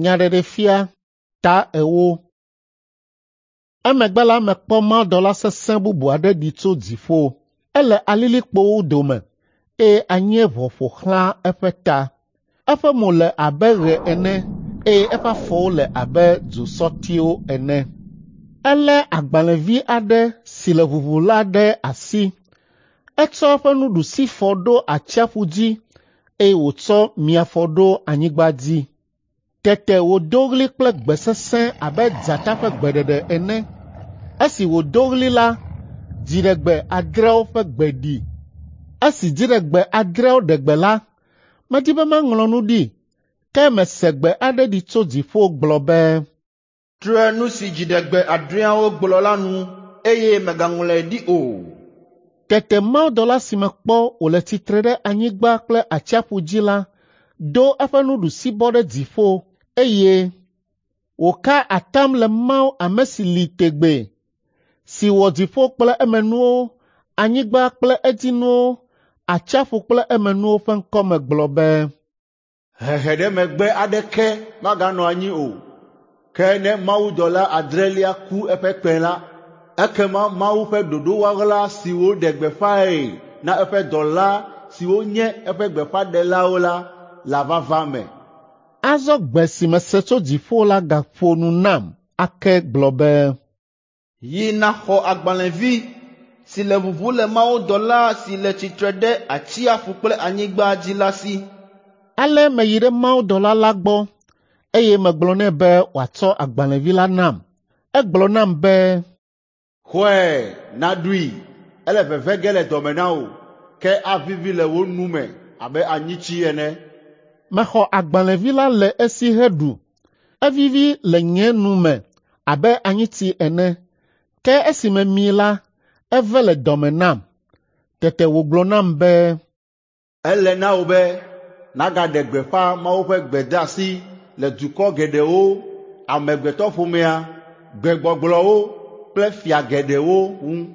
Nyaɖeɖefia ta ewo. Emegbe la mekpɔ mawudɔla sesẽ bubu aɖe ɖi tso dziƒo. Ele alilikpowo dome eye anyieʋɔ ƒo xlã eƒe ta. Eƒe mo le abe ɣe ene eye eƒe afɔwo le abe dzosɔtiwo ene. Elé agbalẽvi aɖe si le ʋuʋu la ɖe asi. Etsɔ eƒe nuɖusifɔ ɖo atsiaƒu dzi eye wòtsɔ miafɔ ɖo anyigba dzi. Tete wòdo ɣli kple gbe sesẽ abe dzata ƒe gbeɖeɖe ene. Esi wòdo ɣli la, dziɖegbe adreawo ƒe gbe ɖi. Esi dziɖegbe adreawo ɖe gbe la, medi be maŋlɔ nu ɖi, ke mese gbe aɖe ɖi tso dziƒo gblɔ be, Tre nu si dziɖegbe adreawo gblɔ la nu eye mègaŋlɔe ɖi o. Tete mawudɔla si mekpɔ wòle tsitre ɖe anyigba kple atsiaƒu dzi la do eƒe nuɖusibɔ ɖe dziƒo eye wòka atam le Mawu ame si li tegbee, si wɔ dziƒo kple emenuwo, anyigba kple edzinuwo, atsiaƒu kple emenuwo ƒe ŋkɔme gblɔ be, Hehe ɖe megbe aɖeke maganɔ anyi o. Ke ne mawudɔla adrelia ku eƒe kpẽ la, ekema Mawu ƒe ɖoɖo ɣaɣla si wòɖe gbeƒãe na eƒe dɔla siwo nye eƒe gbeƒãɖelawo la lava va eme. Azɔ gbe si mese tso dziƒo la gaƒo nu nam ake gblɔ be, Yi nàxɔ agbalẽvi si le ʋuʋu le mawudɔla si le tsitre ɖe atsiaƒu kple anyigba dzi la si. Ale meyi ɖe mawudɔla la gbɔ eye megblɔ nɛ be wòatsɔ agbalẽvi la nam. Egblɔ nam be, Xɔe nàɖui, ele veve ge le dɔme na wò, ke avivi le wò nu me abe anyitsi ene. Mexɔ agbalẽvi la le esi heɖu. Evivi le nye nu me abe anyitsi ene, ke esi memii la, eve le dɔme nam. Tete wògblɔ nam be, Ele na wò be nàgaɖe gbeƒã Mawu ƒe gbedeasi le dukɔ geɖewo, amegbetɔƒomea, gbegbɔgblɔwo kple fia geɖewo ŋu.